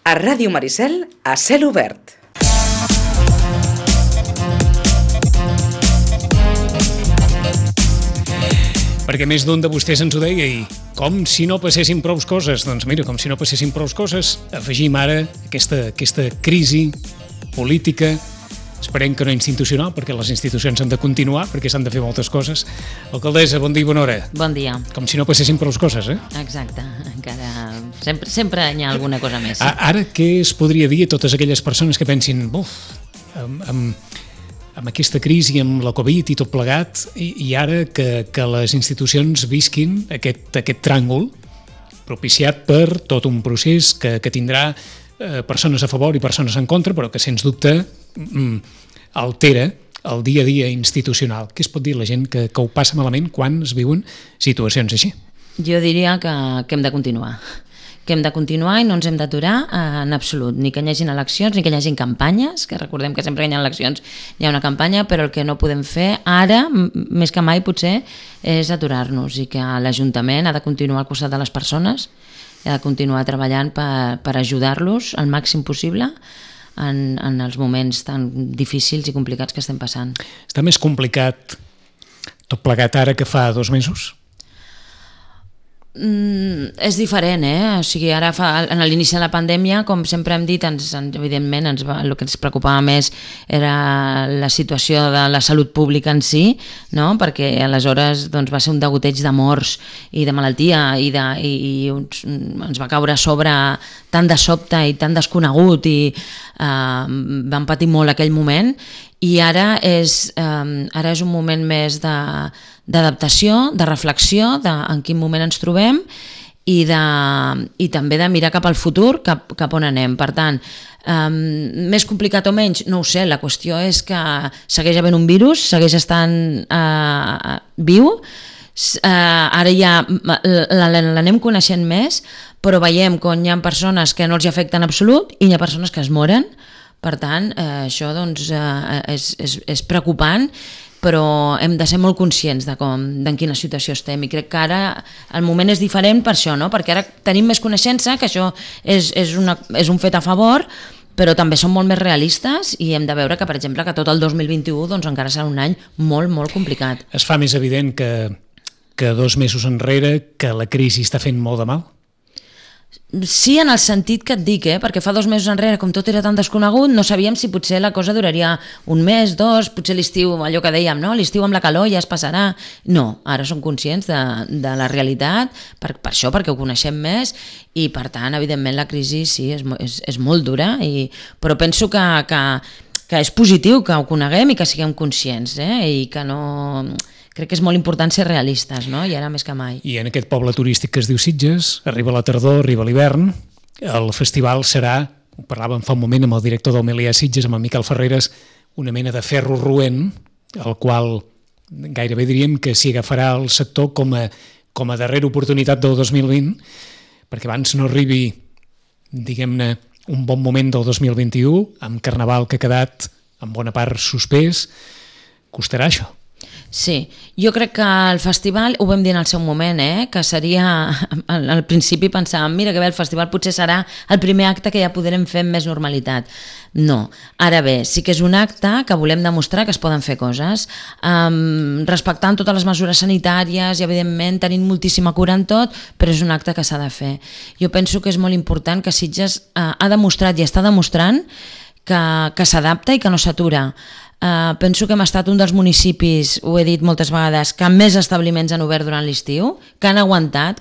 A Ràdio Maricel, a cel obert. Perquè més d'un de vostès ens ho deia i com si no passessin prou coses. Doncs mira, com si no passessin prou coses, afegim ara aquesta crisi política, esperem que no institucional, perquè les institucions han de continuar, perquè s'han de fer moltes coses. Alcaldessa, bon dia i bona hora. Bon dia. Com si no passessin prou coses, eh? Exacte, encara sempre hi ha alguna cosa més. Ara, què es podria dir a totes aquelles persones que pensin, amb aquesta crisi, amb la Covid i tot plegat, i ara que les institucions visquin aquest tràngol propiciat per tot un procés que tindrà persones a favor i persones en contra, però que sens dubte altera el dia a dia institucional. Què es pot dir a la gent que ho passa malament quan es viuen situacions així? Jo diria que hem de continuar. Que hem de continuar i no ens hem d'aturar en absolut, ni que hi hagin eleccions, ni que hi hagin campanyes, que recordem que sempre que hi ha eleccions hi ha una campanya, però el que no podem fer ara, més que mai potser, és aturar-nos, i que l'Ajuntament ha de continuar al costat de les persones, ha de continuar treballant per ajudar-los al màxim possible en els moments tan difícils i complicats que estem passant. Està més complicat tot plegat ara que fa 2 mesos? És diferent, O sigui, ara en l'inici de la pandèmia, com sempre hem dit, evidentment el que ens preocupava més era la situació de la salut pública en si, no? Perquè aleshores va ser un degoteig de morts i de malaltia i ens va caure a sobre tan de sobte i tan desconegut i vam patir molt aquell moment, i ara és un moment més d'adaptació, de reflexió en quin moment ens trobem i també de mirar cap al futur, cap on anem. Per tant, més complicat o menys, no ho sé, la qüestió és que segueix havent un virus, segueix estant viu, ara ja l'anem coneixent més, però veiem que hi ha persones que no els afecten en absolut i hi ha persones que es moren. Per tant, això és preocupant, però hem de ser molt conscients d'en quina situació estem, i crec que ara el moment és diferent per això, no? Perquè ara tenim més coneixença, que això és un fet a favor, però també som molt més realistes i hem de veure que, per exemple, que tot el 2021 encara serà un any molt, molt complicat. Es fa més evident que 2 mesos enrere que la crisi està fent molt de mal? Sí, en el sentit que et dic, perquè fa 2 mesos enrere, com tot era tan desconegut, no sabíem si potser la cosa duraria 1 mes, 2, potser l'estiu, allò que dèiem, no? L'estiu amb la calor ja es passarà. No, ara som conscients de la realitat, per això, perquè ho coneixem més, i per tant, evidentment, la crisi sí, és molt dura, però penso que és positiu que ho coneguem i que siguem conscients, i que no... Crec que és molt important ser realistes, no? I ara més que mai. I en aquest poble turístic que es diu Sitges, arriba la tardor, arriba l'hivern, el festival serà, ho parlàvem fa un moment amb el director del Melià Sitges, amb el Miquel Ferreres, una mena de ferro roent, el qual gairebé diríem que s'hi agafarà el sector com a darrera oportunitat del 2020, perquè abans no arribi, diguem-ne, un bon moment del 2021, amb Carnaval que ha quedat en bona part suspès, costarà això. Sí, jo crec que el festival, ho vam dir en el seu moment, que seria, al principi pensàvem, mira que bé, el festival potser serà el primer acte que ja podrem fer amb més normalitat. No, ara bé, sí que és un acte que volem demostrar que es poden fer coses, respectant totes les mesures sanitàries i evidentment tenint moltíssima cura en tot, però és un acte que s'ha de fer. Jo penso que és molt important que Sitges ha demostrat i està demostrant que s'adapta i que no s'atura. Penso que hem estat un dels municipis, ho he dit moltes vegades, que més establiments han obert durant l'estiu, que han aguantat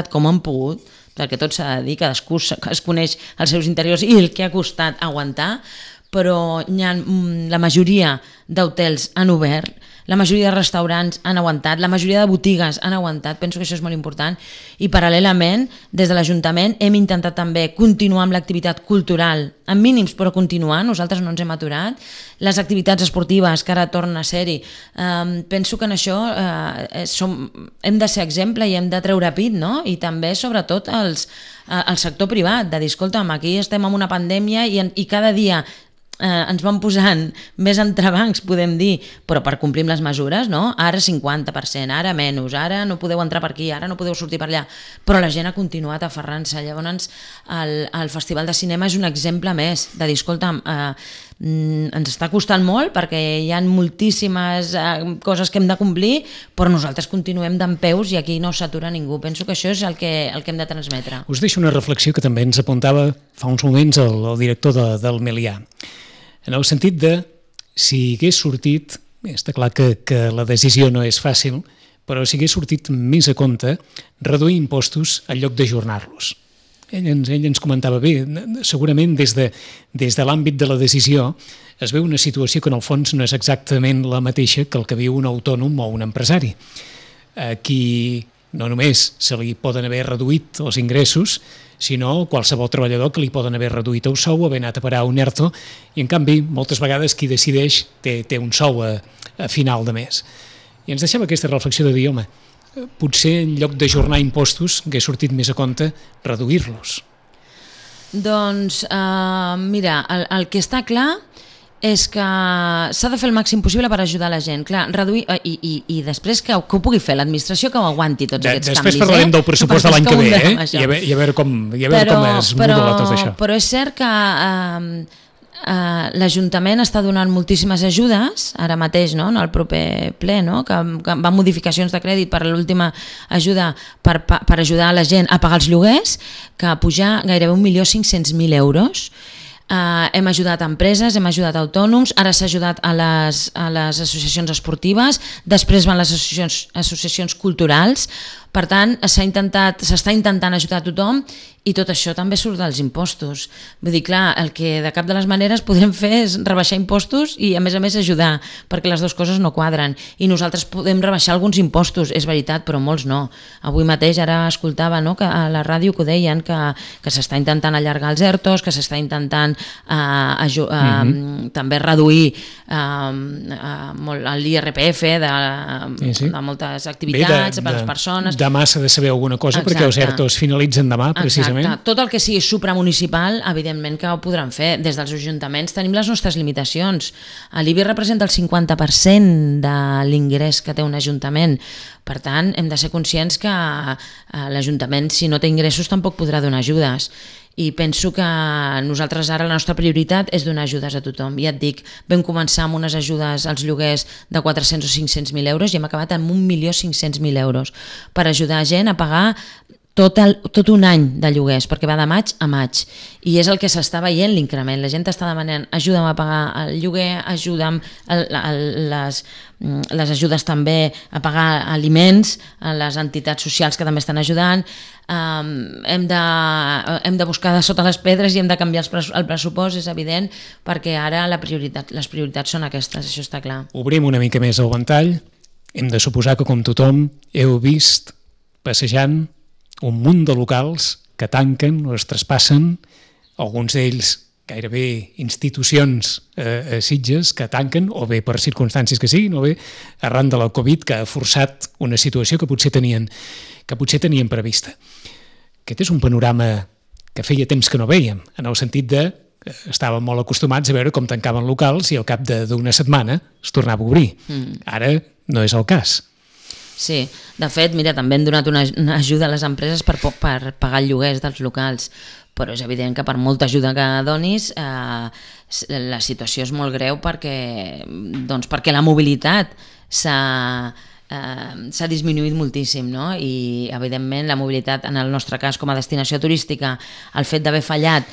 com han pogut, perquè tot s'ha de dir, cadascú es coneix els seus interiors i el que ha costat aguantar, però la majoria d'hotels han obert, la majoria de restaurants han aguantat, la majoria de botigues han aguantat, penso que això és molt important, i paral·lelament, des de l'Ajuntament hem intentat també continuar amb l'activitat cultural, amb mínims però continuar, nosaltres no ens hem aturat, les activitats esportives que ara tornen a ser-hi, penso que en això hem de ser exemple i hem de treure pit, no? I també sobretot el sector privat, de dir, escolta'm, aquí estem en una pandèmia i cada dia ens van posant més entrebancs, podem dir, però per complir amb les mesures, no? Ara 50%, ara menys, ara no podeu entrar per aquí, ara no podeu sortir per allà, però la gent ha continuat aferrant-se. Llavors el Festival de Cinema és un exemple més de dir, escolta'm, ens està costant molt perquè hi ha moltíssimes coses que hem de complir, però nosaltres continuem dempeus i aquí no s'atura ningú. Penso que això és el que hem de transmetre. Us deixo una reflexió que també ens apuntava fa uns moments el director del Melià, en el sentit de si hagués sortit, està clar que la decisió no és fàcil, però si hagués sortit més a compte reduir impostos en lloc d'ajornar-los. Ell ens comentava bé, segurament des de l'àmbit de la decisió es veu una situació que en el fons no és exactament la mateixa que el que viu un autònom o un empresari. Aquí no només se li poden haver reduït els ingressos, sinó qualsevol treballador que li poden haver reduït el sou, haver anat a parar un ERTO, i en canvi moltes vegades qui decideix té un sou a final de mes. I ens deixava aquesta reflexió de dir, home, potser en lloc d'ajornar impostos hagués sortit més a compte reduir-los. Doncs, mira, el que està clar és que s'ha de fer el màxim possible per ajudar la gent. Clar, reduir, i després que ho pugui fer l'administració, que ho aguanti tots aquests canvis. Després parlarem del pressupost de l'any que ve, i a veure com es modula tot això. Però és cert que l'Ajuntament està donant moltíssimes ajudes, ara mateix, no? En el proper ple, no? Que van modificacions de crèdit per l'última ajuda per ajudar la gent a pagar els lloguers, que a pujar gairebé 1.500.000 euros. Hem ajudat a empreses, hem ajudat a autònoms, ara s'ha ajudat a les associacions esportives, després van les associacions culturals. Per tant, s'està intentant ajudar a tothom i tot això també surt dels impostos. Vull dir, clar, el que de cap de les maneres podem fer és rebaixar impostos i a més ajudar, perquè les dues coses no quadren. I nosaltres podem rebaixar alguns impostos, és veritat, però molts no. Avui mateix ara escoltava, no, que a la ràdio que ho deien, que s'està intentant allargar els ERTOs, que s'està intentant també reduir l'IRPF de moltes activitats per les persones. Demà s'ha de saber alguna cosa. Exacte. Perquè els ERTOs finalitzen demà, precisament. Exacte. Tot el que sigui supramunicipal, evidentment que ho podran fer. Des dels ajuntaments tenim les nostres limitacions. L'IBI representa el 50% de l'ingrés que té un ajuntament. Per tant, hem de ser conscients que l'Ajuntament, si no té ingressos, tampoc podrà donar ajudes. I penso que nosaltres ara la nostra prioritat és donar ajudes a tothom. Ja et dic, vam començar amb unes ajudes als lloguers de 400 o 500.000 euros i hem acabat amb 1.500.000 euros per ajudar gent a pagar tot un any de lloguers, perquè va de maig a maig, i és el que s'està veient l'increment. La gent està demanant ajuda'm a pagar el lloguer, ajuda'm les ajudes també a pagar aliments, a les entitats socials que també estan ajudant. Hem de buscar de sota les pedres i hem de canviar el pressupost, és evident, perquè ara les prioritats són aquestes, això està clar. Obrim una mica més el ventall. Hem de suposar que, com tothom, heu vist passejant un munt de locals que tanquen o es traspassen, alguns d'ells gairebé institucions a Sitges que tanquen, o bé per circumstàncies que siguin, o bé arran de la Covid, que ha forçat una situació que potser tenien prevista. Aquest és un panorama que feia temps que no vèiem, en el sentit de que estàvem molt acostumats a veure com tancaven locals i al cap d'una setmana es tornava a obrir. Ara no és el cas. Sí, de fet, mira, també hem donat una ajuda a les empreses per pagar el lloguer dels locals, però és evident que per molta ajuda que donis la situació és molt greu perquè la mobilitat s'ha disminuït moltíssim, no? I evidentment la mobilitat, en el nostre cas com a destinació turística, el fet d'haver fallat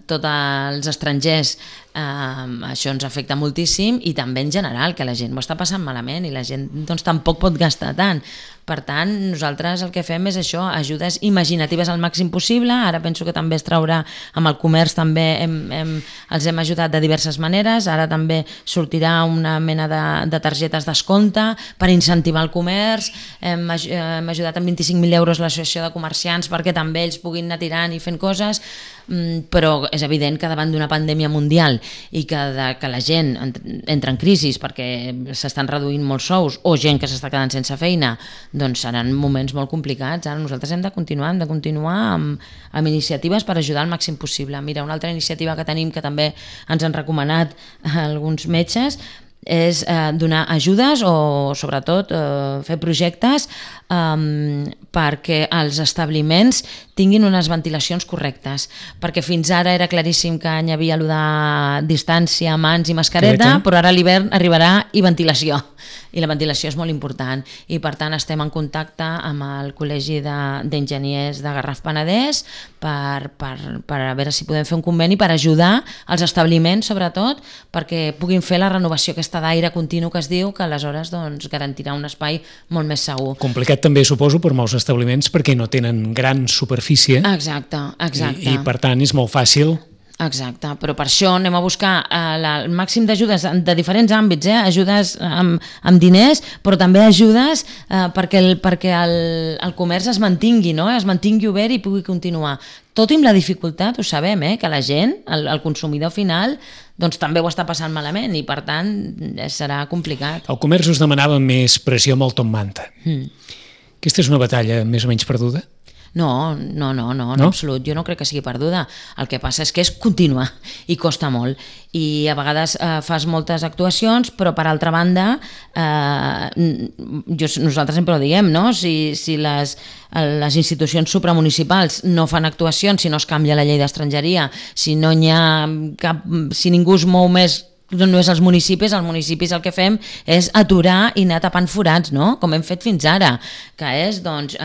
tots els estrangers, això ens afecta moltíssim, i també en general, que la gent ho està passant malament i la gent tampoc pot gastar tant. Per tant, nosaltres el que fem és això, ajudes imaginatives al màxim possible. Ara penso que també es traurà amb el comerç, també els hem ajudat de diverses maneres. Ara també sortirà una mena de targetes descompte per incentivar el comerç. Hem ajudat amb 25.000 euros l'associació de comerciants perquè també ells puguin anar tirant i fent coses. però és evident que davant d'una pandèmia mundial i que la gent entra en crisi perquè s'estan reduint molts sous o gent que s'està quedant sense feina, doncs seran moments molt complicats. Ara nosaltres hem de continuar amb iniciatives per ajudar al màxim possible. Mira, una altra iniciativa que tenim que també ens han recomanat alguns metges és donar ajudes o sobretot fer projectes perquè els establiments tinguin unes ventilacions correctes, perquè fins ara era claríssim que hi havia allò de distància, mans i mascareta, però ara a l'hivern arribarà i ventilació, i la ventilació és molt important, i per tant estem en contacte amb el Col·legi d'Enginyers de Garraf Penedès per a veure si podem fer un conveni per ajudar els establiments, sobretot, perquè puguin fer la renovació aquesta d'aire continu que es diu, que aleshores doncs, garantirà un espai molt més segur. Complicat també, suposo, per molts establiments perquè no tenen gran superfície. Exacte. I per tant és molt fàcil. Exacte, però per això anem a buscar el màxim d'ajudes de diferents àmbits, ajudes amb diners, però també ajudes perquè el comerç es mantingui, no? Es mantingui obert i pugui continuar. Tot i amb la dificultat, ho sabem, que la gent, el consumidor final, doncs també ho està passant malament i per tant serà complicat. El comerç us demanava més pressió amb el Top Manta. Aquesta és una batalla més o menys perduda? No, en absolut. Jo no crec que sigui perduda. El que passa és que és contínua i costa molt. I a vegades fas moltes actuacions, però per altra banda, nosaltres sempre ho diem, no? Si les institucions supramunicipals no fan actuacions, si no es canvia la llei d'estrangeria, si no hi ha si ningú es mou més no és els municipis el que fem és aturar i anar tapant forats, no? Com hem fet fins ara, que és doncs,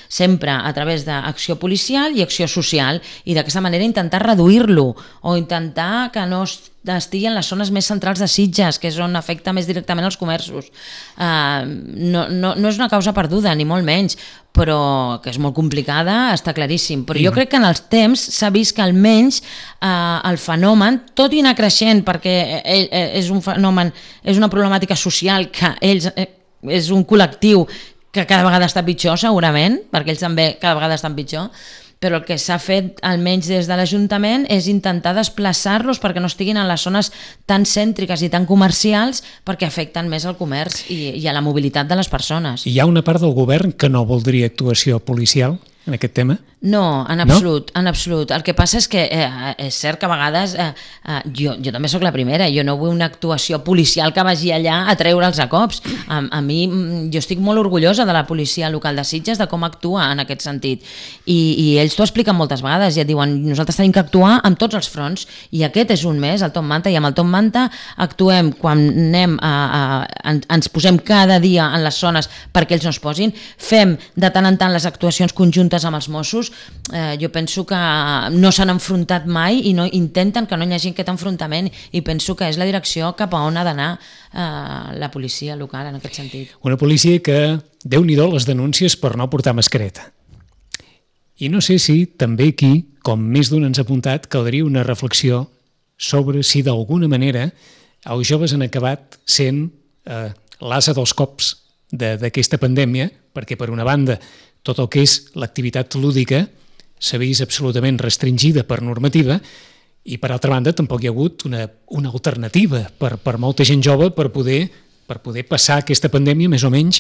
sempre a través d'acció policial i acció social, i d'aquesta manera intentar reduir-lo o intentar que no estigui en les zones més centrals de Sitges, que és on afecta més directament els comerços. No és una causa perduda, ni molt menys, però que és molt complicada, està claríssim. Però jo crec que en els temps s'ha vist que almenys el fenomen, tot i anar creixent, perquè és un fenomen, és una problemàtica social que ells, és un col·lectiu que cada vegada està pitjor, segurament, perquè ells també cada vegada estan pitjor, però el que s'ha fet, almenys des de l'Ajuntament, és intentar desplaçar-los perquè no estiguin en les zones tan cèntriques i tan comercials perquè afecten més al comerç i a la mobilitat de les persones. Hi ha una part del govern que no voldria actuació policial en aquest tema? No, en absolut, en absolut. El que passa és que és cert que a vegades jo també sóc la primera, jo no vull una actuació policial que vagi allà a treure'ls a cops. A mi, jo estic molt orgullosa de la policia local de Sitges, de com actua en aquest sentit. I ells t'ho expliquen moltes vegades i et diuen, nosaltres tenim que actuar amb tots els fronts i aquest és un més, el Top Manta, i amb el Top Manta actuem quan anem ens posem cada dia en les zones perquè ells no es posin, fem de tant en tant les actuacions conjuntes amb els Mossos. Jo penso que no s'han enfrontat mai i no intenten que no hi hagi aquest enfrontament, i penso que és la direcció cap a on ha d'anar la policia local en aquest sentit. Una policia que, Déu-n'hi-do les denúncies per no portar mascareta. I no sé si també aquí, com més d'un ens ha apuntat, caldria una reflexió sobre si d'alguna manera els joves han acabat sent l'ase dels cops d'aquesta pandèmia, perquè per una banda tot el que és l'activitat lúdica s'ha vist absolutament restringida per normativa i per altra banda tampoc hi ha hagut una alternativa per molta gent jove per poder passar aquesta pandèmia més o menys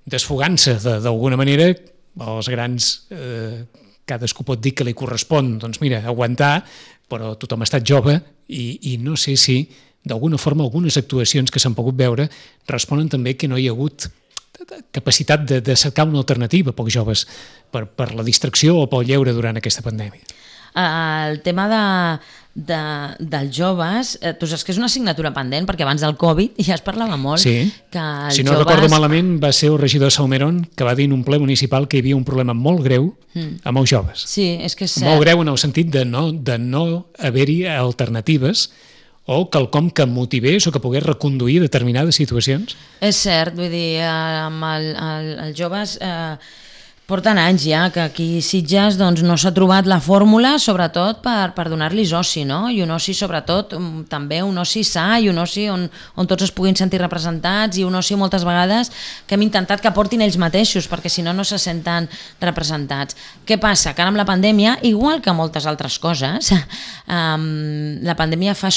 desfogant-se d'alguna manera. Els grans, cadascú pot dir que li correspon, doncs mira, aguantar, però tothom ha estat jove i no sé si d'alguna forma algunes actuacions que s'han pogut veure responen també que no hi ha hagut capacitat de cercar una alternativa pels joves per la distracció o pel lleure durant aquesta pandèmia. El tema dels joves, tu saps que és una assignatura pendent, perquè abans del Covid ja es parlava molt. Sí. Que si no recordo malament, va ser el regidor Salmerón que va dir en un ple municipal que hi havia un problema molt greu amb els joves. Sí, és que és cert. Molt greu en el sentit de no haver-hi alternatives o quelcom que motivés o que pogués reconduir determinades situacions? És cert, vull dir, amb els joves Porten anys ja que aquí a Sitges doncs, no s'ha trobat la fórmula, sobretot per donar-los oci, no? I un oci sobretot també un oci sa i un oci on tots es puguin sentir representats i un oci moltes vegades que hem intentat que portin ells mateixos perquè si no se senten representats. Què passa? Que ara amb la pandèmia, igual que moltes altres coses, la pandèmia fa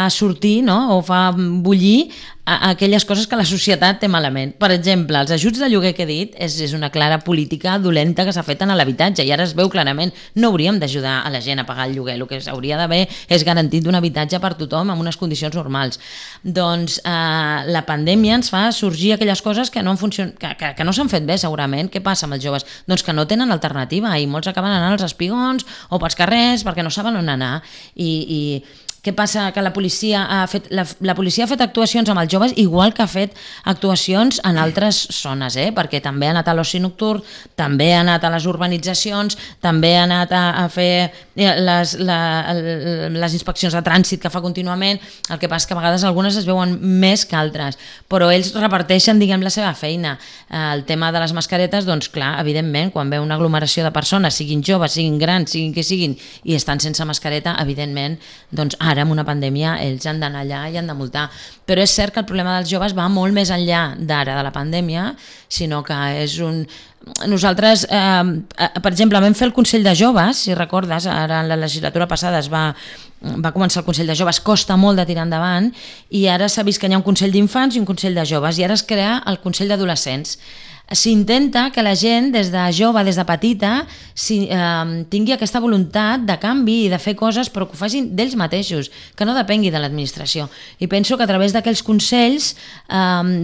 sortir, no? O fa bullir aquelles coses que la societat té malament. Per exemple, els ajuts de lloguer que he dit és una clara política dolenta que s'ha fet en l'habitatge i ara es veu clarament. No hauríem d'ajudar a la gent a pagar el lloguer, el que s'hauria d'haver és garantit un habitatge per tothom amb unes condicions normals. Doncs la pandèmia ens fa sorgir aquelles coses que no s'han fet bé segurament. Què passa amb els joves? Doncs que no tenen alternativa i molts acaben anant als espigons o pels carrers perquè no saben on anar i què passa? Que la policia ha fet actuacions amb els joves igual que ha fet actuacions en altres zones, perquè també ha anat a l'oci nocturn, també ha anat a les urbanitzacions, també ha anat a fer les inspeccions de trànsit que fa contínuament. El que passa és que a vegades algunes es veuen més que altres, però ells reparteixen, diguem, la seva feina. El tema de les mascaretes, doncs clar, evidentment, quan ve una aglomeració de persones, siguin joves, siguin grans, siguin que siguin, i estan sense mascareta, evidentment, doncs ara amb una pandèmia ells han d'anar allà i han de multar. Però és cert que el problema dels joves va molt més enllà d'ara de la pandèmia, sinó que és un... Nosaltres, per exemple, vam fer el Consell de Joves, si recordes, ara en la legislatura passada va començar el Consell de Joves, costa molt de tirar endavant, i ara s'ha vist que hi ha un Consell d'Infants i un Consell de Joves, i ara es crea el Consell d'Adolescents. S'intenta que la gent des de jove, des de petita, tingui aquesta voluntat de canvi i de fer coses, però que ho facin d'ells mateixos, que no depengui de l'administració. I penso que a través d'aquells consells,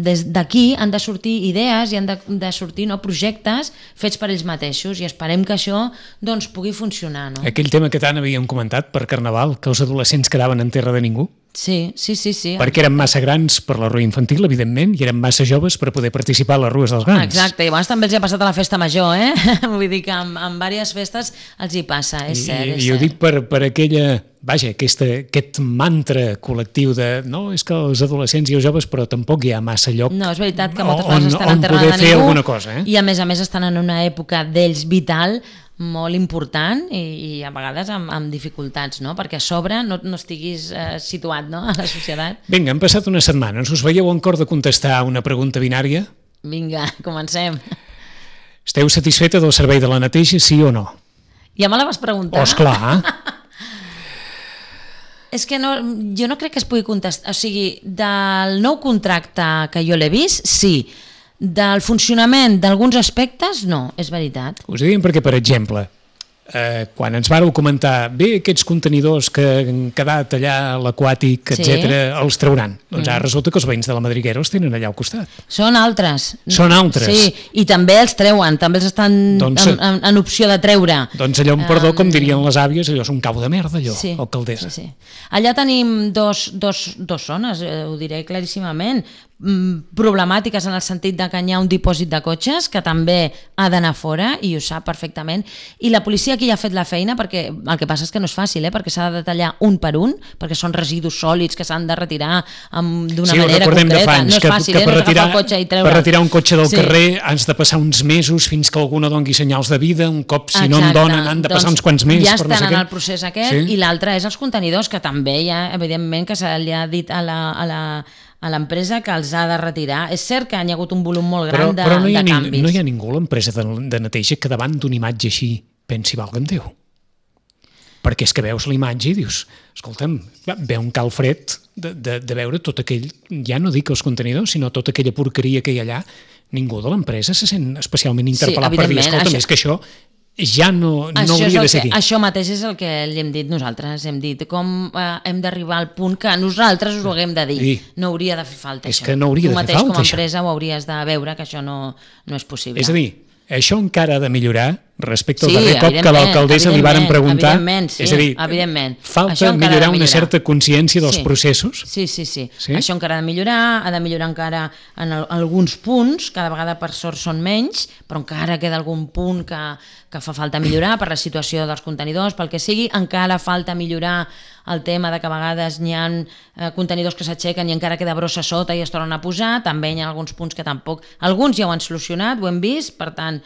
des d'aquí han de sortir idees i han de sortir projectes fets per ells mateixos i esperem que això doncs, pugui funcionar. No? Aquell tema que tant havíem comentat per Carnaval, que els adolescents quedaven en terra de ningú. Sí. Perquè eren massa grans per la rua infantil, evidentment, i eren massa joves per poder participar a les rues dels grans. Exacte, i abans també els hi ha passat a la festa major, Vull dir que en diverses festes els hi passa, és cert. I ho dic per aquella... Vaja, aquest mantra col·lectiu de no, és que els adolescents i els joves, però tampoc hi ha massa lloc. No, és veritat que moltes vegades estan en terra de ningú alguna cosa, i a més estan en una època d'ells vital molt important i a vegades amb dificultats, no? Perquè a sobre no estiguis situat, no? A la societat. Vinga, han passat unes setmanes. Us veieu en cor de contestar una pregunta binària? Vinga, comencem. Esteu satisfeta del servei de la neteja, sí o no? Ja me la vas preguntar. Oh, esclar. És que jo no crec que es pugui contestar. O sigui, del nou contracte que jo l'he vist, sí. Del funcionament d'alguns aspectes, no, és veritat. Us ho diem perquè, per exemple, quan ens vàreu comentar aquests contenidors que han quedat allà a l'aquàtic, etc., els trauran. Doncs ara resulta que els veïns de la Madriguera els tenen allà al costat. Són altres. Són altres. Sí, i també els treuen, també els estan en opció de treure. Doncs allò, perdó, com dirien les àvies, allò és un cau de merda, allò, alcaldessa. Sí. Allà tenim dos zones, ho diré claríssimament, problemàtiques en el sentit de que hi ha un dipòsit de cotxes que també ha d'anar fora i ho sap perfectament, i la policia aquí ja ha fet la feina, perquè el que passa és que no és fàcil, perquè s'ha de detallar un per un, perquè són residus sòlids que s'han de retirar d'una manera concreta, no és fàcil, no és agafar el cotxe i treure. Per retirar un cotxe del carrer has de passar uns mesos fins que algú no doni senyals de vida, un cop si no en donen han de passar uns quants mesos. Ja estan en el procés aquest, i l'altre és els contenidors, que també hi ha, evidentment, que se li ha dit a l'empresa que els ha de retirar. És cert que hi ha hagut un volum molt gran de canvis. No hi ha ningú a l'empresa de neteja que davant d'una imatge així pensi, valga'm Déu. Perquè és que veus la imatge i dius, escolta'm, ve un calfred de veure tot aquell, ja no dic els contenidors, sinó tota aquella porqueria que hi ha allà. Ningú de l'empresa se sent especialment interpel·lat per dir, escolta'm, és que això ja no hauria de ser aquí. Això mateix és el que li hem dit nosaltres, hem dit com hem d'arribar al punt que nosaltres us ho haguem de dir. No hauria de fer falta això. És que no hauria de fer falta això. Tu mateix com a empresa ho hauries de veure que això no és possible. És a dir, això encara ha de millorar respecte al darrer cop que l'alcaldessa li varen preguntar. És a dir, falta millorar una certa consciència dels processos. Sí. Això encara ha de millorar encara en alguns punts, cada vegada per sort són menys, però encara queda algun punt que fa falta millorar per la situació dels contenidors, pel que sigui, encara falta millorar el tema de que a vegades hi ha contenidors que s'aixequen i encara queda brossa sota i es tornen a posar, també hi ha alguns punts que tampoc... Alguns ja ho han solucionat, ho hem vist, per tant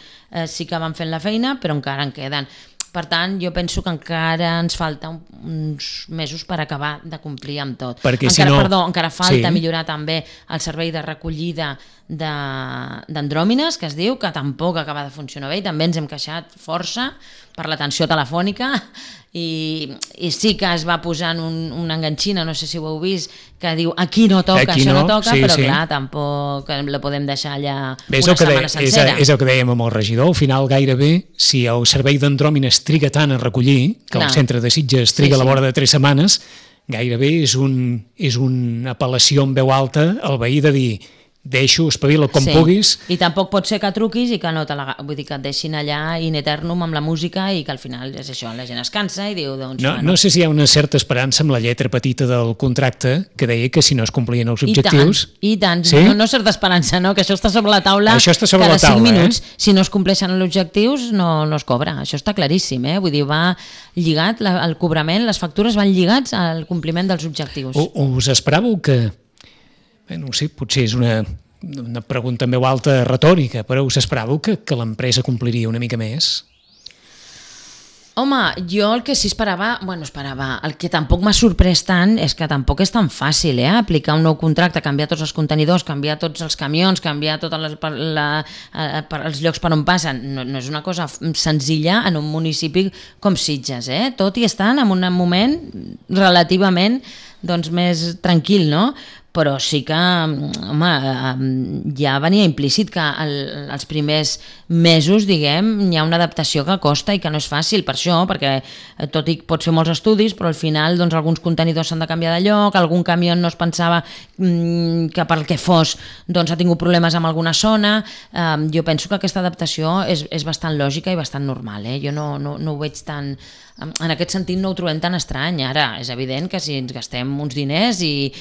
sí que van fent la feina, però encara en queden. Per tant, jo penso que encara ens falta uns mesos per acabar de complir amb tot. Encara falta millorar també el servei de recollida d'andròmines, que es diu, que tampoc acaba de funcionar bé, i també ens hem queixat força per l'atenció telefònica, i sí que es va posant una enganxina, no sé si ho heu vist, que diu aquí no toca, això no toca, però clar, tampoc la podem deixar allà una setmana sencera. És el que dèiem amb el regidor, al final gairebé, si el servei d'andròmines triga tant a recollir, que el centre de Sitges triga a la vora de 3 setmanes, gairebé és una apel·lació en veu alta al veí de dir deixo, espavila com puguis. I tampoc pot ser que truquis i que no vull dir, que et deixin allà in eternum amb la música i que al final és això, la gent es cansa i diu... No sé si hi ha una certa esperança amb la lletra petita del contracte que deia que si no es complien els objectius... I tant, no certa esperança, no? Que això està sobre la taula cada 5 minuts. Si no es compleixen els objectius no es cobra, això està claríssim, vull dir, va lligat el cobrament, les factures van lligats al compliment dels objectius. Us esperàveu que... No sé, potser és una pregunta en veu alta retòrica, però us esperàveu que l'empresa compliria una mica més? Home, jo el que sí esperava, el que tampoc m'ha sorprès tant és que tampoc és tan fàcil, aplicar un nou contracte, canviar tots els contenidors, canviar tots els camions, canviar tots els llocs per on passen. No és una cosa senzilla en un municipi com Sitges, tot i estan en un moment relativament més tranquil, no? Però sí que, home, ja venia implícit que els primers mesos, diguem, hi ha una adaptació que costa i que no és fàcil per això, perquè tot i que pots fer molts estudis, però al final alguns contenidors s'han de canviar de lloc, algun camió no es pensava que pel que fos ha tingut problemes amb alguna zona. Jo penso que aquesta adaptació és bastant lògica i bastant normal, jo no ho veig tan... En aquest sentit no ho trobem tan estrany. Ara, és evident que si ens gastem uns diners i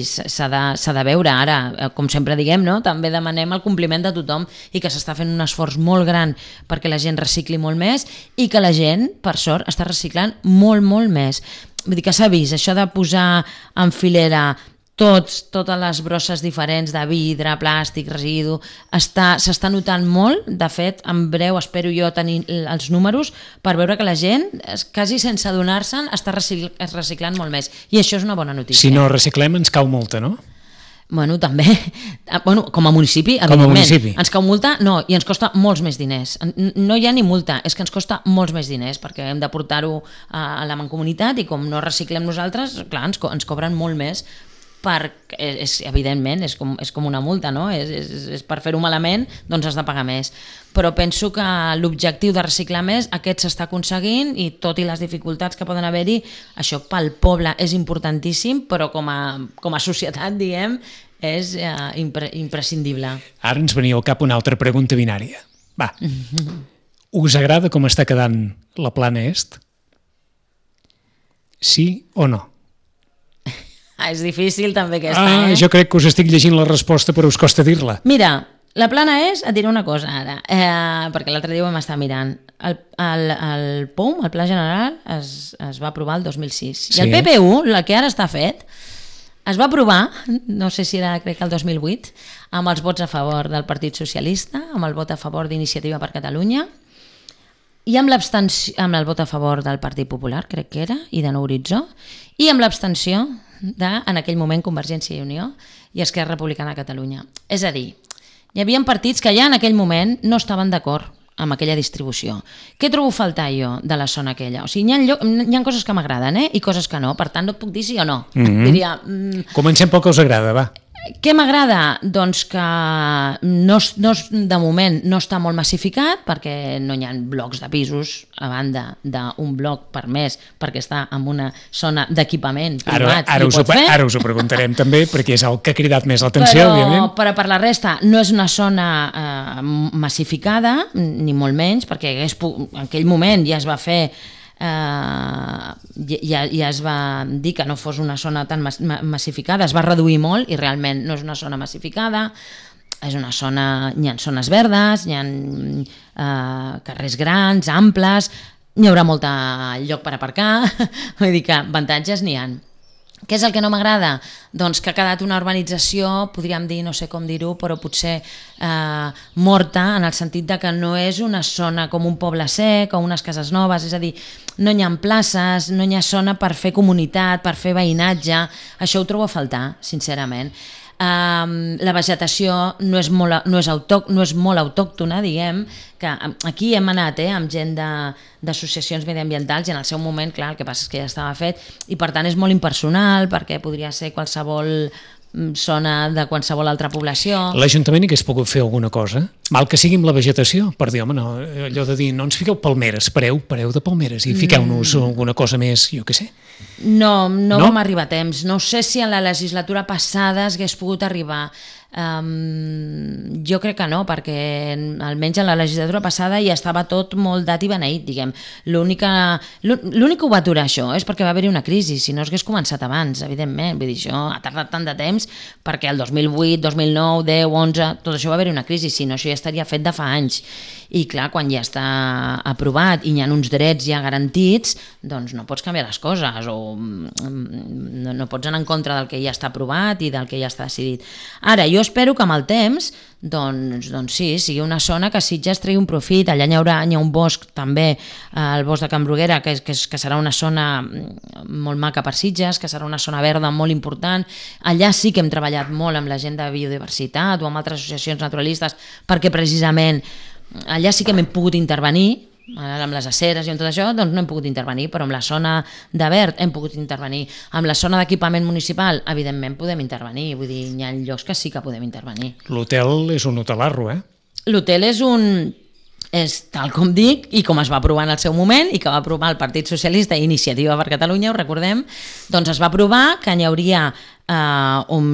s'ha de veure. Ara, com sempre diguem, també demanem el compliment de tothom i que s'està fent un esforç molt gran perquè la gent recicli molt més i que la gent, per sort, està reciclant molt, molt més. Vull dir que s'ha vist això de posar en filera totes les brosses diferents de vidre, plàstic, residu, s'està notant molt. De fet, en breu espero jo tenir els números per veure que la gent, quasi sense adonar-se'n, està reciclant molt més. I això és una bona notícia. Si no reciclem ens cau multa, no? També, com a municipi, evidentment, ens cau multa, i ens costa molts més diners. No hi ha ni multa, és que ens costa molts més diners, perquè hem de portar-ho a la mancomunitat i com no reciclem nosaltres, clar, ens cobren molt més, perquè evidentment és com una multa, no? És per fer-ho malament, doncs has de pagar més. Però penso que l'objectiu de reciclar més, aquest s'està aconseguint i tot i les dificultats que poden haver-hi, això pel poble és importantíssim, però com a societat, diguem, és imprescindible. Ara ens venia al cap una altra pregunta binària. Va, us agrada com està quedant la Plana Est? Sí o no? És difícil també aquesta, Jo crec que us estic llegint la resposta, però us costa dir-la. Mira, la Plana és, et diré una cosa ara, perquè l'altre dia ho vam estar mirant. El POUM, el Pla General, es va aprovar el 2006. I el PPU, el que ara està fet, es va aprovar, no sé si era, crec que el 2008, amb els vots a favor del Partit Socialista, amb el vot a favor d'Iniciativa per Catalunya, i amb el vot a favor del Partit Popular, crec que era, i de Nou Horitzó, i amb l'abstenció en aquell moment Convergència i Unió i Esquerra Republicana de Catalunya. És a dir, hi havia partits que ja en aquell moment no estaven d'acord amb aquella distribució. Què trobo a faltar jo de la zona aquella? O sigui, hi ha coses que m'agraden i coses que no, per tant no et puc dir sí o no. Diria... Comencem pel que us agrada, va. Què m'agrada? Doncs que de moment no està molt massificat perquè no hi ha blocs de pisos a banda d'un bloc per mes perquè està en una zona d'equipament privat. Ara us ho preguntarem també perquè és el que ha cridat més l'atenció, òbviament. Però per la resta no és una zona massificada, ni molt menys, perquè en aquell moment ja es va fer ja es va dir que no fos una zona tan massificada, es va reduir molt i realment no és una zona massificada, és una zona, hi ha zones verdes, hi ha carrers grans, amples, Hi haurà molt lloc per aparcar, vull dir que avantatges n'hi ha. Què és el que no m'agrada? Doncs que ha quedat una urbanització, podríem dir, no sé com dir-ho, però potser morta, en el sentit de que no és una zona com un poble sec o unes cases noves, és a dir, no hi ha places, no hi ha zona per fer comunitat, per fer veïnatge, això ho trobo a faltar, sincerament. La vegetació no és molt autòctona, diguem, que aquí hem anat amb gent d'associacions mediambientals i en el seu moment, clar, el que passa és que ja estava fet i per tant és molt impersonal perquè podria ser qualsevol zona de qualsevol altra població. L'Ajuntament hagués pogut fer alguna cosa, mal que sigui amb la vegetació, per dir, home, no, allò de dir, no ens fiqueu palmeres, pareu de palmeres i fiqueu-nos alguna cosa més, jo què sé. No vam arribar a temps. No sé si en la legislatura passada hagués pogut arribar. Jo crec que no, perquè almenys en la legislatura passada ja estava tot molt dat i beneït, diguem. L'únic que ho va aturar això és perquè va haver-hi una crisi, si no hagués començat abans, evidentment. Vull dir, això ha tardat tant de temps perquè el 2008, 2009, 10, 11, tot això va haver-hi una crisi, si no això ja estaria fet de fa anys. I clar, quan ja està aprovat i hi ha uns drets ja garantits, doncs no pots canviar les coses o no pots anar en contra del que ja està aprovat i del que ja està decidit. Ara, jo espero que amb el temps doncs sí, sigui una zona que Sitges tregui un profit. Allà hi ha un bosc també, el bosc de Can Bruguera, que serà una zona molt maca per Sitges, que serà una zona verda molt important. Allà sí que hem treballat molt amb la gent de biodiversitat o amb altres associacions naturalistes perquè precisament allà sí que hem pogut intervenir, amb les aceres i amb tot això, doncs no hem pogut intervenir, però amb la zona de verd hem pogut intervenir. Amb la zona d'equipament municipal, evidentment, podem intervenir. Vull dir, hi ha llocs que sí que podem intervenir. L'hotel és un hotelarro, L'hotel és tal com dic i com es va aprovar en el seu moment i que va aprovar el Partit Socialista i Iniciativa per Catalunya, ho recordem, doncs es va aprovar que hi hauria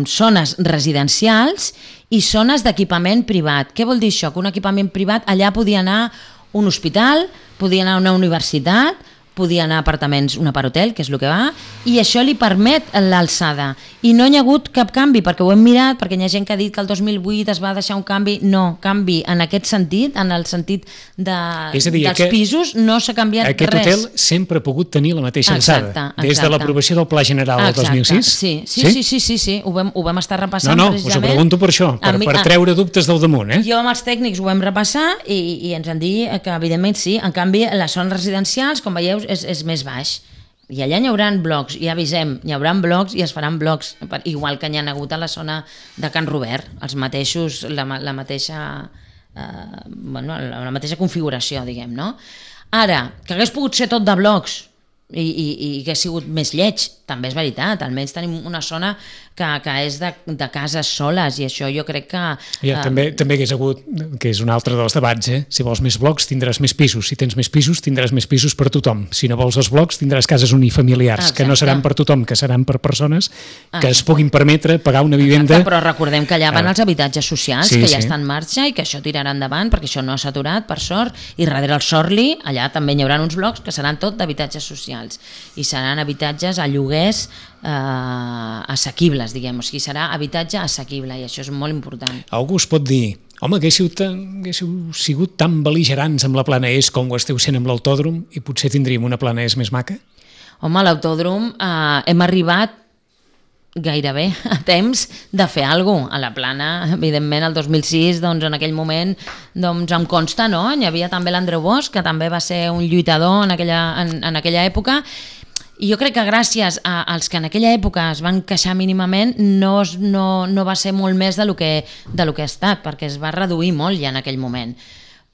zones residencials i zones d'equipament privat. Què vol dir això? Que un equipament privat allà podia anar un hospital, podia anar a una universitat, podia anar a apartaments, un aparthotel, que és el que va, i això li permet l'alçada. I no hi ha hagut cap canvi, perquè ho hem mirat, perquè hi ha gent que ha dit que el 2008 es va deixar un canvi. No, canvi en aquest sentit, en el sentit dels pisos, no s'ha canviat res. Aquest hotel sempre ha pogut tenir la mateixa alçada, des de l'aprovació del Pla General del 2006? Sí, ho vam estar repassant precisament. Us ho pregunto per això, per treure dubtes del damunt. Jo amb els tècnics ho vam repassar i ens han dit que evidentment sí, en canvi les zones residencials, com veieu, és més baix. I allà hi haurà blocs, ja avisem, hi haurà blocs i es faran blocs, igual que n'hi ha hagut a la zona de Can Robert, els mateixos, la mateixa configuració, diguem, no? Ara, que hagués pogut ser tot de blocs i que ha sigut més lleig, també és veritat, almenys tenim una zona que és de cases soles i això jo crec que... També hagués hagut, que és un altre dels debats, si vols més blocs tindràs més pisos, si tens més pisos tindràs més pisos per tothom, si no vols els blocs tindràs cases unifamiliars, que no seran per tothom, que seran per persones que es puguin permetre pagar una vivenda... Però recordem que allà van els habitatges socials, que ja estan en marxa i que això tirarà endavant, perquè això no ha saturat, per sort, i darrere el Sorli, allà també hi haurà uns blocs que seran tot d'habitatges socials i seran habitatges a lloguers assequibles, diguem, o sigui, serà habitatge assequible i això és molt important. Algú us pot dir, home, haguéssiu sigut tan bel·ligerants amb la Plana Est com ho esteu sent amb l'autòdrom i potser tindríem una Plana Est més maca? Home, l'autòdrom hem arribat gairebé a temps de fer alguna cosa. A la Plana, evidentment, el 2006, doncs en aquell moment, doncs em consta, no? Hi havia també l'Andreu Bosch, que també va ser un lluitador en aquella època. I jo crec que gràcies als que en aquella època es van queixar mínimament no va ser molt més del que ha estat, perquè es va reduir molt ja en aquell moment.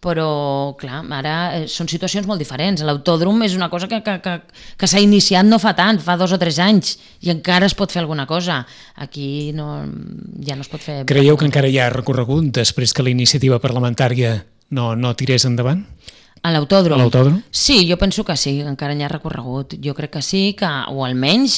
Però, clar, ara són situacions molt diferents. L'autòdrom és una cosa que s'ha iniciat no fa tant, fa 2 o 3 anys, i encara es pot fer alguna cosa. Aquí ja no es pot fer... Creieu que encara hi ha recorregut després que la iniciativa parlamentària no tirés endavant? A l'autòdrom? A l'autòdrom? Sí, jo penso que sí, encara n'hi ha recorregut. Jo crec que sí, o almenys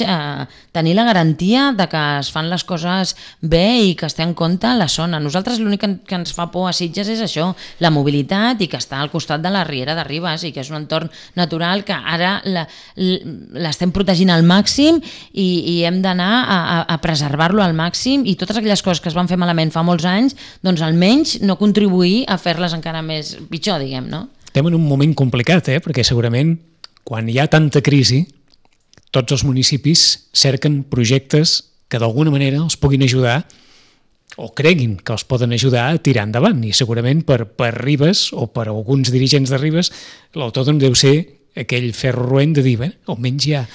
tenir la garantia de que es fan les coses bé i que es té en compte la zona. Nosaltres l'únic que ens fa por a Sitges és això, la mobilitat i que està al costat de la Riera de Ribes i que és un entorn natural que ara l'estem protegint al màxim i hem d'anar a preservar-lo al màxim i totes aquelles coses que es van fer malament fa molts anys, doncs almenys no contribuir a fer-les encara més pitjor, diguem, no? estem en un moment complicat, perquè segurament quan hi ha tanta crisi, tots els municipis cerquen projectes que d'alguna manera els puguin ajudar o creguin que els poden ajudar a tirar endavant. I segurament per Ribes o per alguns dirigents de Ribes l'autòdrom deu ser aquell ferro roent de dir, almenys hi ha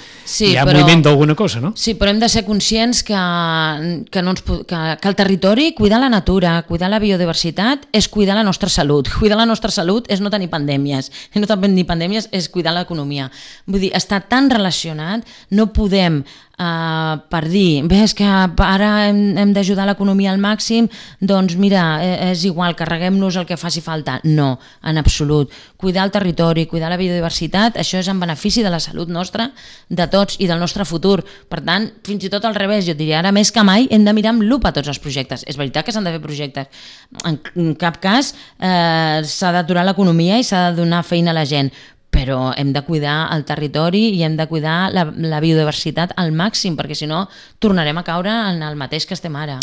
moviment d'alguna cosa, no? Sí, però hem de ser conscients que el territori, cuidar la natura, cuidar la biodiversitat, és cuidar la nostra salut. Cuidar la nostra salut és no tenir pandèmies. I no tenir pandèmies és cuidar l'economia. Vull dir, està tan relacionat, no podem per dir, és que ara hem d'ajudar l'economia al màxim, doncs mira, és igual, carreguem-nos el que faci falta. No, en absolut. Cuidar el territori, cuidar la biodiversitat, això és en benefici de la salut nostra, de tots i del nostre futur. Per tant, fins i tot al revés, jo diria, ara més que mai hem de mirar amb lupa tots els projectes. És veritat que s'han de fer projectes. En cap cas s'ha d'aturar l'economia i s'ha de donar feina a la gent, però hem de cuidar el territori i hem de cuidar la biodiversitat al màxim, perquè si no tornarem a caure en el mateix que estem ara.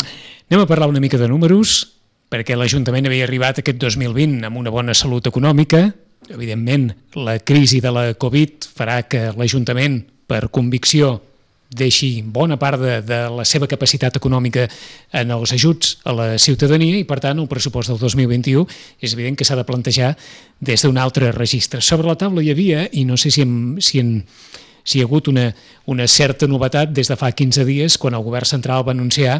Anem a parlar una mica de números, perquè l'Ajuntament havia arribat aquest 2020 amb una bona salut econòmica. Evidentment, la crisi de la Covid farà que l'Ajuntament, per convicció, deixi bona part de la seva capacitat econòmica en els ajuts a la ciutadania i, per tant, el pressupost del 2021 és evident que s'ha de plantejar des d'un altre registre. Sobre la taula hi havia, i no sé si hi ha hagut una certa novetat des de fa 15 dies, quan el govern central va anunciar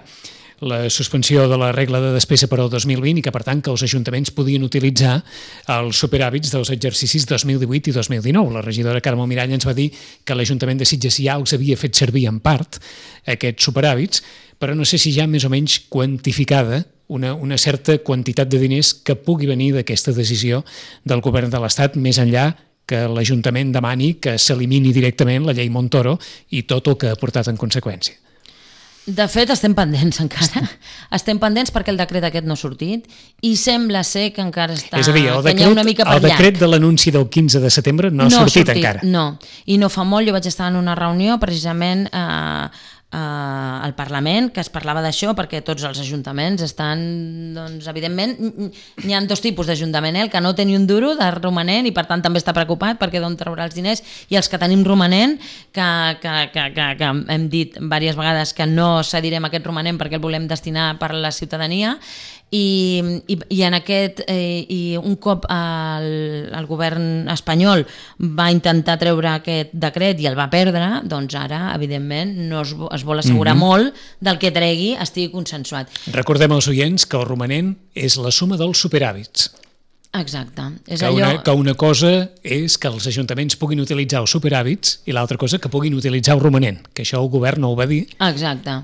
la suspensió de la regla de despesa per al 2020 i que, per tant, que els ajuntaments podien utilitzar els superàvits dels exercicis 2018 i 2019. La regidora Carme Mirall ens va dir que l'Ajuntament de Sitges ja els havia fet servir en part aquests superàvits, però no sé si ja més o menys quantificada una certa quantitat de diners que pugui venir d'aquesta decisió del govern de l'Estat, més enllà que l'Ajuntament demani que s'elimini directament la llei Montoro i tot el que ha portat en conseqüència. De fet, estem pendents encara. Estem pendents perquè el decret aquest no ha sortit i sembla ser que encara està... És a dir, el decret de l'anunci del 15 de setembre no ha sortit encara. No, i no fa molt, jo vaig estar en una reunió precisament al Parlament que es parlava d'això, perquè tots els ajuntaments estan, doncs, evidentment, n'hi ha dos tipus d'ajuntament, el que no té ni un duro de romanent i per tant també està preocupat perquè d'on traurà els diners, i els que tenim romanent, que hem dit diverses vegades que no cedirem aquest romanent perquè el volem destinar per a la ciutadania, i un cop el govern espanyol va intentar treure aquest decret i el va perdre, doncs ara evidentment no es vol assegurar molt del que tregui estigui consensuat. Recordem als oients que el romanent és la suma dels superàvits. Exacte. Que una cosa és que els ajuntaments puguin utilitzar els superàvits i l'altra cosa que puguin utilitzar el romanent, que això el govern no ho va dir. Exacte.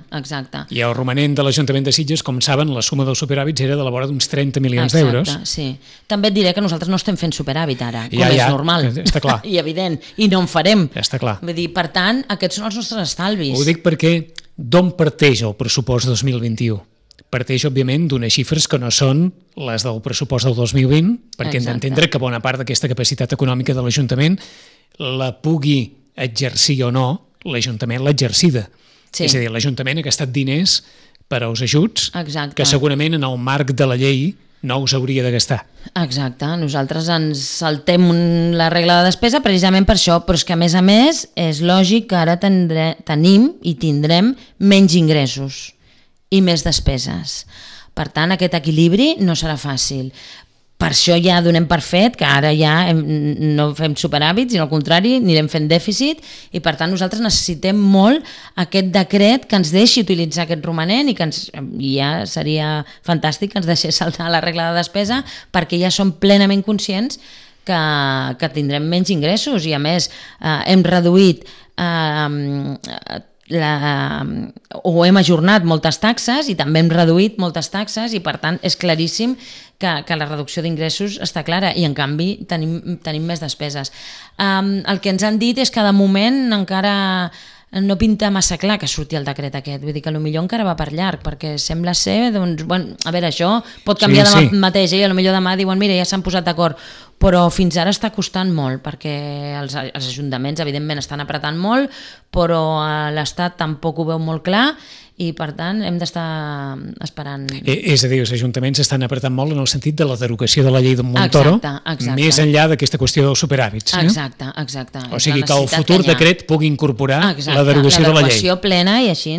I el romanent de l'Ajuntament de Sitges, com saben, la suma dels superàvits era de la vora d'uns 30 milions d'euros. Exacte, sí. També et diré que nosaltres no estem fent superàvit ara, com és normal. Està clar. I evident, i no en farem. Està clar. Vull dir, per tant, aquests són els nostres estalvis. Ho dic perquè d'on parteix el pressupost 2021? Parteix, òbviament, d'unes xifres que no són les del pressupost del 2020, perquè hem d'entendre que bona part d'aquesta capacitat econòmica de l'Ajuntament la pugui exercir o no, l'Ajuntament l'ha exercida. Sí. És a dir, l'Ajuntament ha gastat diners per als ajuts que segurament en el marc de la llei no us hauria de gastar. Exacte, nosaltres ens saltem la regla de despesa precisament per això, però és que a més és lògic que ara tenim i tindrem menys ingressos i més despeses. Per tant, aquest equilibri no serà fàcil. Per això ja donem per fet que ara ja no fem superàvits, sinó al contrari, anirem fent dèficit, i per tant nosaltres necessitem molt aquest decret que ens deixi utilitzar aquest romanent i que ja seria fantàstic que ens deixés saltar la regla de despesa, perquè ja som plenament conscients que tindrem menys ingressos i a més hem reduït o hem ajornat moltes taxes i també hem reduït moltes taxes i per tant és claríssim que la reducció d'ingressos està clara i en canvi tenim més despeses. El que ens han dit és que de moment encara no pinta massa clar que surti el decret aquest, vull dir que potser encara va per llarg, perquè sembla ser, doncs, bueno, a veure, això pot canviar demà mateix, i potser demà diuen, mira, ja s'han posat d'acord, però fins ara està costant molt, perquè els ajuntaments evidentment estan apretant molt, però l'Estat tampoc ho veu molt clar, i per tant hem d'estar esperant. És a dir, els ajuntaments estan apretant molt en el sentit de la derogació de la llei de Montoro, exacte. Més enllà d'aquesta qüestió dels superàvits. Exacte. O sigui que el futur decret pugui incorporar la derogació de la llei. La derogació plena, i així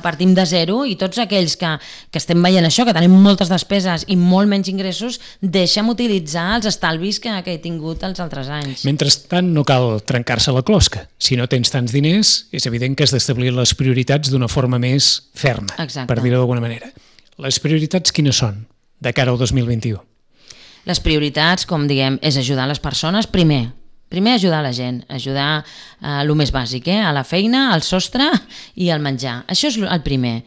partim de zero, i tots aquells que estem veient això, que tenim moltes despeses i molt menys ingressos, deixem utilitzar els estalvis que he tingut els altres anys. Mentrestant, no cal trencar-se la closca. Si no tens tants diners, és evident que has d'establir les prioritats d'una forma més ferma, per dir-ho d'alguna manera. Les prioritats quines són de cara al 2021? Les prioritats, com diguem, és ajudar les persones. Primer ajudar la gent, ajudar el més bàsic, a la feina, al sostre i al menjar. Això és el primer.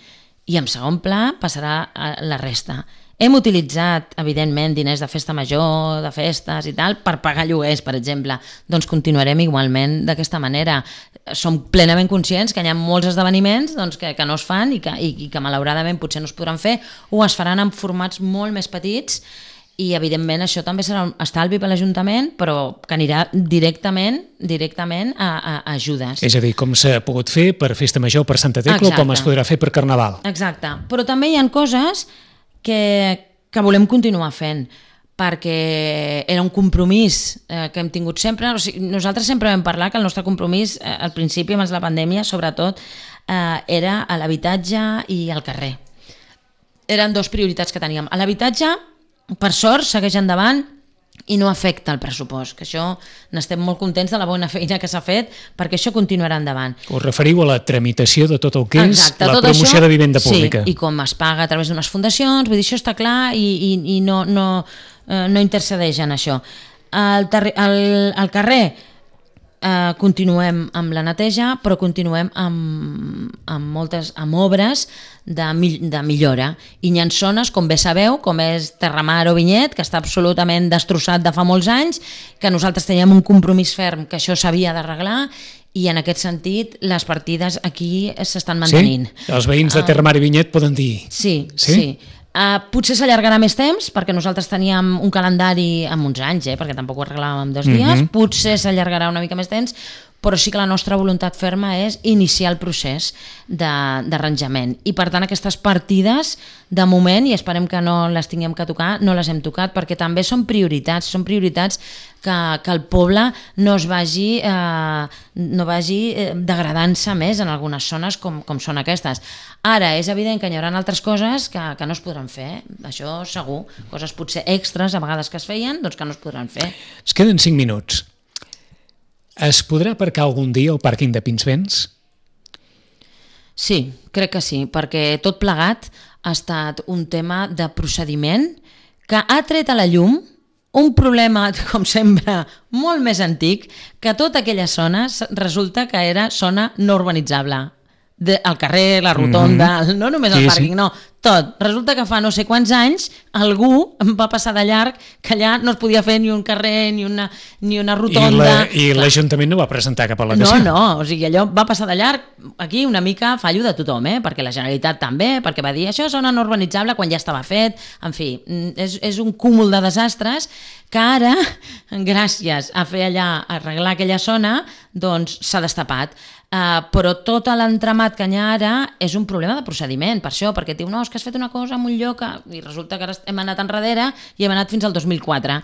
I en segon pla passarà la resta. Hem utilitzat, evidentment, diners de festa major, de festes i tal, per pagar lloguers, per exemple. Doncs continuarem igualment d'aquesta manera. Som plenament conscients que hi ha molts esdeveniments que no es fan i que malauradament potser no es podran fer, o es faran en formats molt més petits, i evidentment això també serà un estalvi per l'Ajuntament, però que anirà directament a ajudes. És a dir, com s'ha pogut fer per Festa Major, per Santa Tecla, o com es podrà fer per Carnaval. Exacte, però també hi ha coses que volem continuar fent, perquè era un compromís que hem tingut sempre. O sigui, nosaltres sempre vam parlar que el nostre compromís al principi, abans de la pandèmia, sobretot, era a l'habitatge i al carrer. Eren dues prioritats que teníem. A l'habitatge, per sort, segueix endavant i no afecta el pressupost, que això n'estem molt contents de la bona feina que s'ha fet, perquè això continuarà endavant. Us referiu a la tramitació de tot el que és la promoció de vivenda pública. Sí, i com es paga a través d'unes fundacions, vull dir, això està clar i no intercedeix en això. Al carrer continuem amb la neteja, però continuem amb obres de millora. I hi ha zones, com bé sabeu, com és Terramar o Vinyet, que està absolutament destrossat de fa molts anys, que nosaltres teníem un compromís ferm que això s'havia d'arreglar, i en aquest sentit les partides aquí s'estan mantenint. Sí? Els veïns de Terramar i Vinyet poden dir... Sí. Potser s'allargarà més temps, perquè nosaltres teníem un calendari amb uns anys, perquè tampoc ho arreglàvem en 2 dies, potser s'allargarà una mica més temps, però sí que la nostra voluntat ferma és iniciar el procés d'arranjament. I per tant aquestes partides, de moment, i esperem que no les tinguem que tocar, no les hem tocat, perquè també són prioritats que el poble no vagi degradant-se més en algunes zones com són aquestes. Ara, és evident que hi haurà altres coses que no es podran fer, això segur, coses potser extras a vegades que es feien, doncs que no es podran fer. Es queden 5 minuts. Es podrà aparcar algun dia al pàrquing de Pinsbens? Sí, crec que sí, perquè tot plegat ha estat un tema de procediment que ha tret a la llum un problema, com sempre, molt més antic, que tota aquella zona resulta que era zona no urbanitzable. El carrer, la rotonda, no només el pàrquing, no, tot. Resulta que fa no sé quants anys algú va passar de llarg que allà no es podia fer ni un carrer ni una rotonda. I l'Ajuntament no va presentar cap al·legació. No, o sigui, allò va passar de llarg, aquí una mica fallo de tothom, perquè la Generalitat també, perquè va dir això és zona no urbanitzable quan ja estava fet, en fi, és un cúmul de desastres que ara, gràcies a fer allà, a arreglar aquella zona, doncs s'ha destapat. Però tot l'entramat que hi ha ara és un problema de procediment, per això, perquè diu, no, és que has fet una cosa en un lloc i resulta que ara hem anat enrere i hem anat fins al 2004.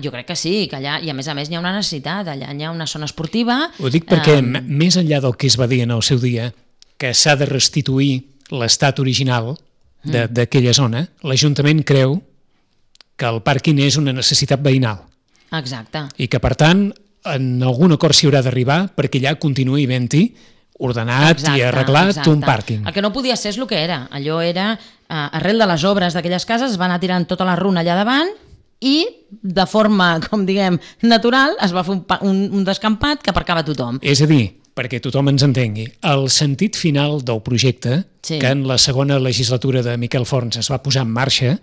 Jo crec que sí, que allà, i a més hi ha una necessitat, allà hi ha una zona esportiva. Ho dic perquè més enllà del que es va dir en el seu dia, que s'ha de restituir l'estat original d'aquella zona, l'Ajuntament creu que el pàrquing és una necessitat veïnal. Exacte. I que, per tant, en algun acord s'hi haurà d'arribar perquè allà continuï havent-hi ordenat i arreglat un pàrquing. El que no podia ser és el que era. Allò era, arrel de les obres d'aquelles cases, es va anar tirant tota la runa allà davant i, de forma, com diguem, natural, es va fer un descampat que aparcava tothom. És a dir, perquè tothom ens entengui, el sentit final del projecte, que en la segona legislatura de Miquel Forns es va posar en marxa,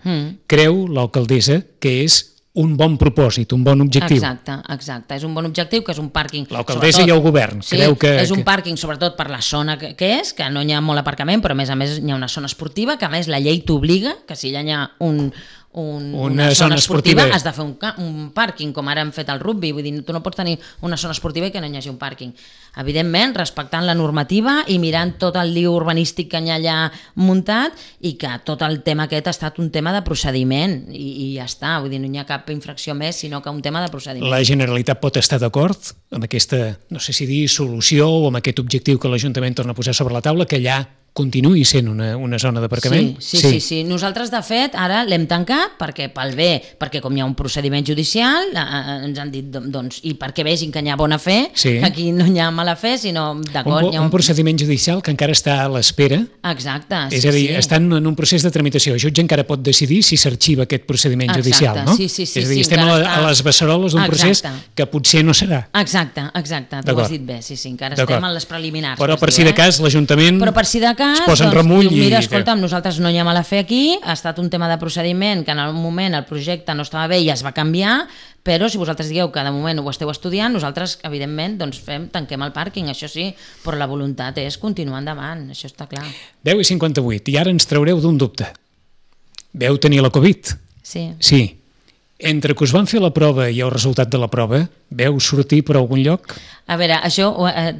creu l'alcaldessa que és un bon propòsit, un bon objectiu. Exacte. És un bon objectiu, que és un pàrquing... L'alcaldessa i el govern creu que... És un pàrquing, sobretot per la zona que és, que no hi ha molt aparcament, però a més hi ha una zona esportiva, que a més la llei t'obliga, que si hi ha Una zona esportiva. Has de fer un pàrquing, com ara hem fet el rugby, vull dir, tu no pots tenir una zona esportiva i que no hi hagi un pàrquing. Evidentment, respectant la normativa i mirant tot el lío urbanístic que hi ha allà muntat i que tot el tema aquest ha estat un tema de procediment i ja està, vull dir, no hi ha cap infracció més, sinó que un tema de procediment. La Generalitat pot estar d'acord amb aquesta, no sé si dir, solució o amb aquest objectiu que l'Ajuntament torna a posar sobre la taula, que allà continuï sent una zona d'aparcament? Sí. Nosaltres, de fet, ara l'hem tancat perquè pel bé, perquè com hi ha un procediment judicial, ens han dit, doncs, i perquè vegin que hi ha bona fe, que aquí no hi ha mala fe, sinó, d'acord... Un procediment judicial que encara està a l'espera. Exacte, és a dir, estan en un procés de tramitació. El jutge encara pot decidir si s'arxiva aquest procediment judicial, no? Sí. És a dir, estem a les beceroles d'un procés que potser no serà. Exacte, tu ho has dit bé, sí, encara estem en les preliminars. Però per si de cas, l'Ajuntament es posa en remull i... Mira, escolta'm, nosaltres no hi ha mala fe aquí, ha estat un tema de procediment que en el moment el projecte no estava bé i es va canviar, però si vosaltres digueu que de moment ho esteu estudiant, nosaltres, evidentment, doncs tanquem el pàrquing, això sí, però la voluntat és continuar endavant, això està clar. 10:58, i ara ens traureu d'un dubte. Veu tenir la Covid? Sí. Entre que us van fer la prova i el resultat de la prova, veu sortir per algun lloc? A veure, això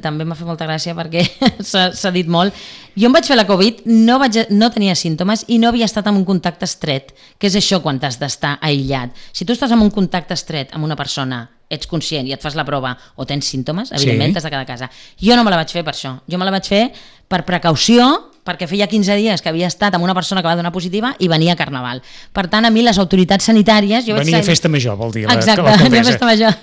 també m'ha fet molta gràcia perquè s'ha dit molt. Jo em vaig fer la Covid, no tenia símptomes i no havia estat en un contacte estret, que és això quan t'has d'estar aïllat. Si tu estàs en un contacte estret amb una persona, ets conscient i et fas la prova o tens símptomes, evidentment t'has de quedar a casa. Jo no me la vaig fer per això, jo me la vaig fer per precaució, perquè feia 15 dies que havia estat amb una persona que va donar positiva i venia a Carnaval. Per tant, a mi les autoritats sanitàries... Venia a festa major, vol dir, exacte, venia a festa major.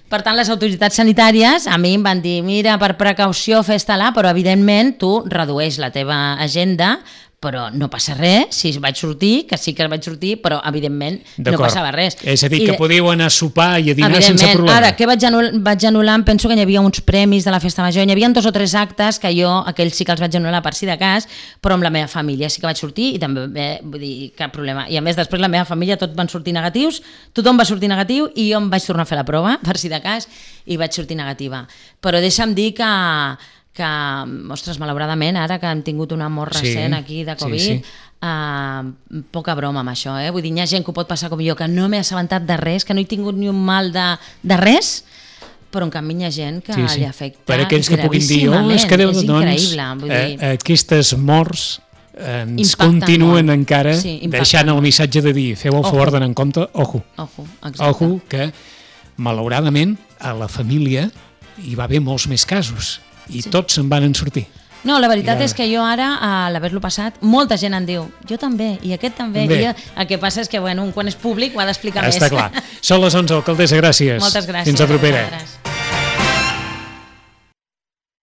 Per tant, les autoritats sanitàries a mi em van dir, mira, per precaució festa-la, però evidentment tu redueix la teva agenda, però no passa res, si vaig sortir, que sí que vaig sortir, però evidentment no passava res. És a dir, que podíeu anar a sopar i a dinar sense problema. Ara, què vaig anul·lar? Penso que hi havia uns premis de la festa major, hi havia 2 o 3 actes que jo, aquells sí que els vaig anul·lar per si de cas, però amb la meva família sí que vaig sortir i també, vull dir, cap problema. I a més, després la meva família tots van sortir negatius, tothom va sortir negatiu i jo em vaig tornar a fer la prova, per si de cas, i vaig sortir negativa. Però deixa'm dir que ostres, malauradament, ara que hem tingut una mort recent aquí de Covid, poca broma amb això, vull dir, hi ha gent que ho pot passar com jo, que no m'he assabentat de res, que no he tingut ni un mal de res, però en canvi hi ha gent que li afecta per aquells que puguin dir, és que Déu, doncs, aquestes morts ens continuen encara deixant el missatge de dir, feu el favor d'anar en compte, ojo, que malauradament a la família hi va haver molts més casos i tots se'n van en sortir. No, la veritat és que jo ara, a l'haver-lo passat, molta gent em diu, jo també, i aquest també. El que passa és que, quan és públic ho ha d'explicar més. Està clar. Són les 11, alcaldessa, gràcies. Moltes gràcies. Fins la propera.